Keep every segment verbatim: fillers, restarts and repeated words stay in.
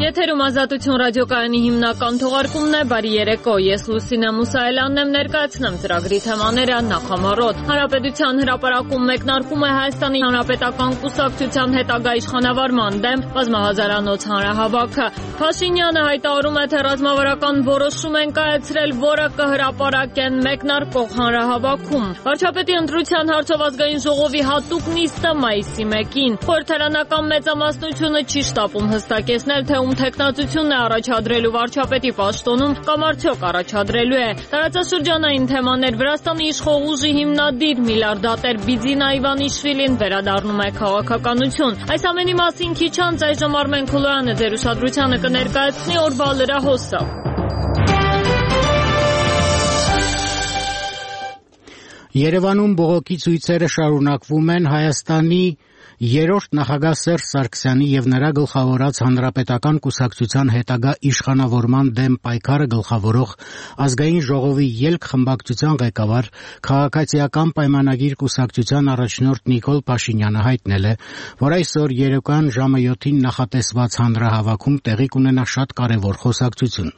Եթերում Ազատություն ռադիոկայանի հիմնական թողարկումն է, բարի երեկո, ես Լուսինե Մուսայելյանն եմ, ներկայացնեմ ծրագրի թեմաները նախամարոտ։ Հանրապետության հրապարակում մեկնարկում է Հայաստանի Հանրապետական կուսակցության հետագա իշխանավարման դեմ բազմահազարանոց հանրահավաքը։ Փաշինյանը հայտարարում է, թե ռազմավարական որոշում են կայացրել, որը կհրապարակեն մեկնարկող հանրահավաքում։ Վարչապետի ընտրության հարցով ազգային ժողովի հատուկ նիստը մայիսի մեկին։ Խորհրդարանական մեծամասնությունը չի շտապում հստակեցնել, թե ում թեկնածությունն է առաջադրելու վարչապետի պաշտոնում կամ արդյոք առաջադրելու է։ Տարածաշրջանային թեմաներ Վրաստանի իշխող ուժի հիմնադիր միլիարդատեր Բիձինա Իվանիշվիլին վերադառնում է քաղաքականություն։ Այս ամենի մասին քիչ անց այժմ Արմեն Քոլոյանը ձեր ուշադրությանը կներկայացնի օրվա լրահոսը։ Երևանում բողոքի ցույցերը շարունակվում են Հայաստանի երրորդ նախագահ Սերժ Սարգսյանի եւ նրա գլխավորած Հանրապետական կուսակցության հետագա իշխանավորման դեմ պայքարը գլխավորող ազգային ժողովի ելք խմբակցության ղեկավար քաղաքացիական պայմանագիր կուսակցության առաջնորդ Նիկոլ Փաշինյանը հայտնել է, որ այսօր երեկոյան ժամը յոթին նախատեսված հանրահավաքում տեղի կունենա շատ կարևոր խոսակցություն։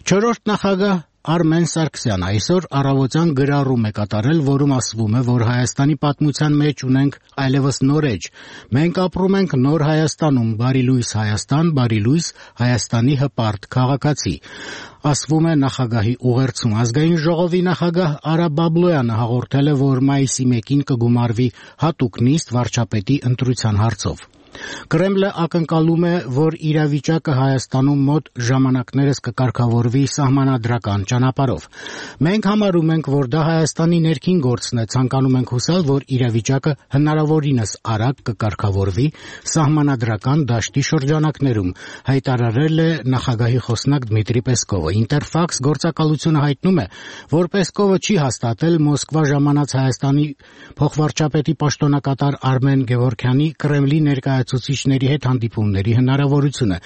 Չորրորդ նախագահ Արմեն Սարգսյանը այսօր առավոտյան գրառում է կատարել, որում ասվում է, որ Հայաստանի պատմության մեջ ունենք այլևս նոր էջ։ Մենք ապրում ենք նոր Հայաստանում, բարի լույս Հայաստան, բարի լույս Հայաստանի հպարտ քաղաքացի։ Ասվում է նախագահի ուղերձում։ Ազգային ժողովի նախագահ Արա Բաբլոյանը հաղորդել է, որ մայիսի մեկին կգումարվի հատուկ նիստ վարչապետի ընտրության հարցով։ Կրեմլը ակնկալում է, որ իրավիճակը Հայաստանում մոտ ժամանակներս կկարգավորվի սահմանադրական ճանապարհով։ Մենք համարում ենք, որ դա Հայաստանի ներքին գործն է, ցանկանում ենք հուսալ, որ իրավիճակը հնարավորինս արագ կկարգավորվի սահմանադրական դաշտի շրջանակներում, հայտարարել է նախագահի խոսնակ Դմիտրի Պեսկովը։ Ինտերֆաքս գործակալությունը հայտնում է, որ Պեսկովը չի հաստատել Մոսկվա ժամանած Հայաստանի փոխվարչապետի պաշտոնակատար Արմեն Գևորգյանի Կրեմլի ներկայացուցիչ ցուցիչների հետ հանդիպումների հնարավորությունը։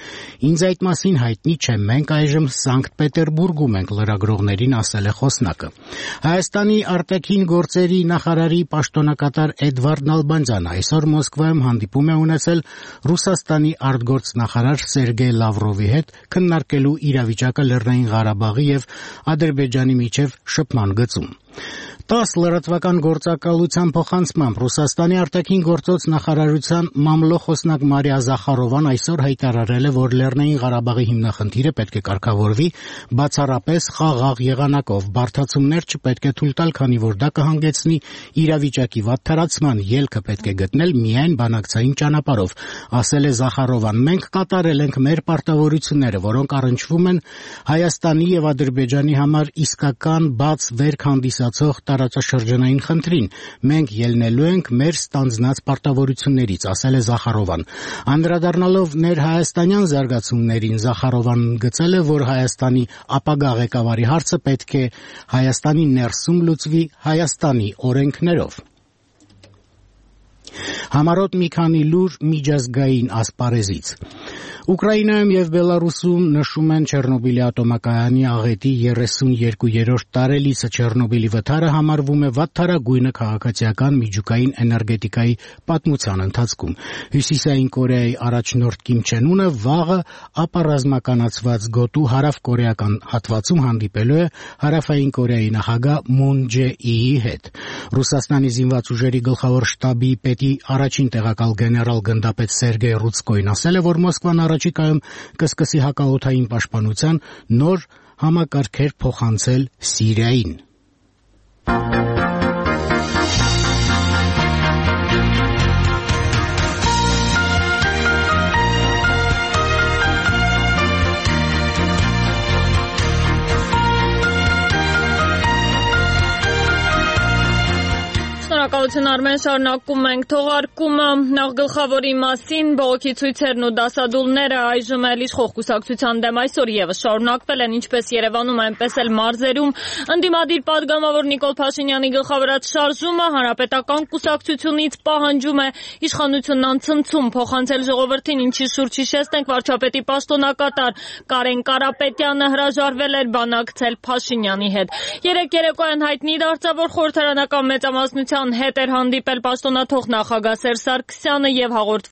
Ինձ այդ մասին հայտնի չէ, մենք այժմ Սանկտ Պետերբուրգում ենք, լրագրողներին ասել է խոսնակը։ Հայաստանի արտաքին գործերի նախարարի պաշտոնակատար Էդվարդ Նալբանդյանը այսօր Մոսկվայում հանդիպում է ունեցել Ռուսաստանի արտգործնախարար Սերգեյ Լավրովի հետ, քննարկելու իրավիճակը Լեռնային Ղարաբաղի եւ Ադրբեջանի միջև շփման գծում։ տաս լրատվական գործակալության փոխանցմամբ Ռուսաստանի արտաքին գործոց նախարարության մամլոխոսնակ Մարիա Զախարովան այսօր հայտարարել է, որ Լեռնային Ղարաբաղի հիմնախնդիրը պետք է կարգավորվի բացառապես խաղաղ եղանակով։ Բարդացումներ չպետք է թույլ տալ, քանի որ դա կհանգեցնի իրավիճակի վատթարացման, ելքը պետք է գտնել միայն բանակցային ճանապարհով, ասել է Զախարովան։ Մենք կատարել ենք մեր պարտավորությունները, որոնք առնչվում են Հայաստանի եւ Ադրբեջանի համար իսկական բաց վերք հանդիսացող տարածաշրջանային խնդրին։ Մենք ելնելու ենք մեր ստանձնած պարտավորություններից, ասել է Զախարովան։ Անդրադառնալով ներհայաստանյան զարգացումներին, Զախարովան գծել է, որ Հայաստանի ապագա ղեկավարի հարցը պետք է Հայաստանի ներսում լուծվի Հայաստանի օրենքներով։ Համառոտ մի քանի լուր միջազգային ասպարեզից։ Ուկրաինայում եւ Բելարուսում նշում են Չեռնոբիլի ատոմակայանի աղետի երեսունյոթերորդ տարելիցը։ Չեռնոբիլի վթարը համարվում է վատթարագույնը քաղաքացիական միջուկային էներգետիկայի պատմության ընթացքում։ Հյուսիսային Կորեայի առաջնորդ Կիմ Չեն Ունը վաղը ապառազմականացված գոտու հարավկորեական հատվածում հանդիպելու է Հարավային Կորեայի նախագահ Մուն Ջե-իի հետ։ Ռուսաստանի զինված ուժերի գլխավոր շտաբի պետի առաջին տեղակալ գեներալ գնդապետ Սերգեյ Ռուցկոին ասել է, որ Մոսկվան առաջիկայում կսկսի հակաօդային պաշտպանության նոր համակարգեր փոխանցել Սիրիային։ Շնորհակալություն Արմեն, շարունակում ենք թողարկումը։ Նախ գլխավորի մասին բողոքի ցույցերն ու դասադուլները այժմ էլ իշխող կուսակցության դեմ այսօր եւս շարունակվել են ինչպես Երևանում, այնպես էլ մարզերում։ Ընդդիմադիր падգամավոր Նիկոլ Փաշինյանի գլխավորած շարժումը Հանրապետական կուսակցությունից պահանջում է իշխանությունն անցնցում փոխանցել ժողովրդին, ինչի շուրջ հիշեցնենք վարչապետի պաշտոնակատար Կարեն Կարապետյանը հրաժարվել էր բանակցել Փաշինյանի հետ։ Երեկ երեկոյան հայտնի դարձավ, որ խորհրդարանական մեծամասնության հետ էր հանդիպել պաշտոնաթող նախագահ Սերժ Սարգսյանը եւ հաղորդվում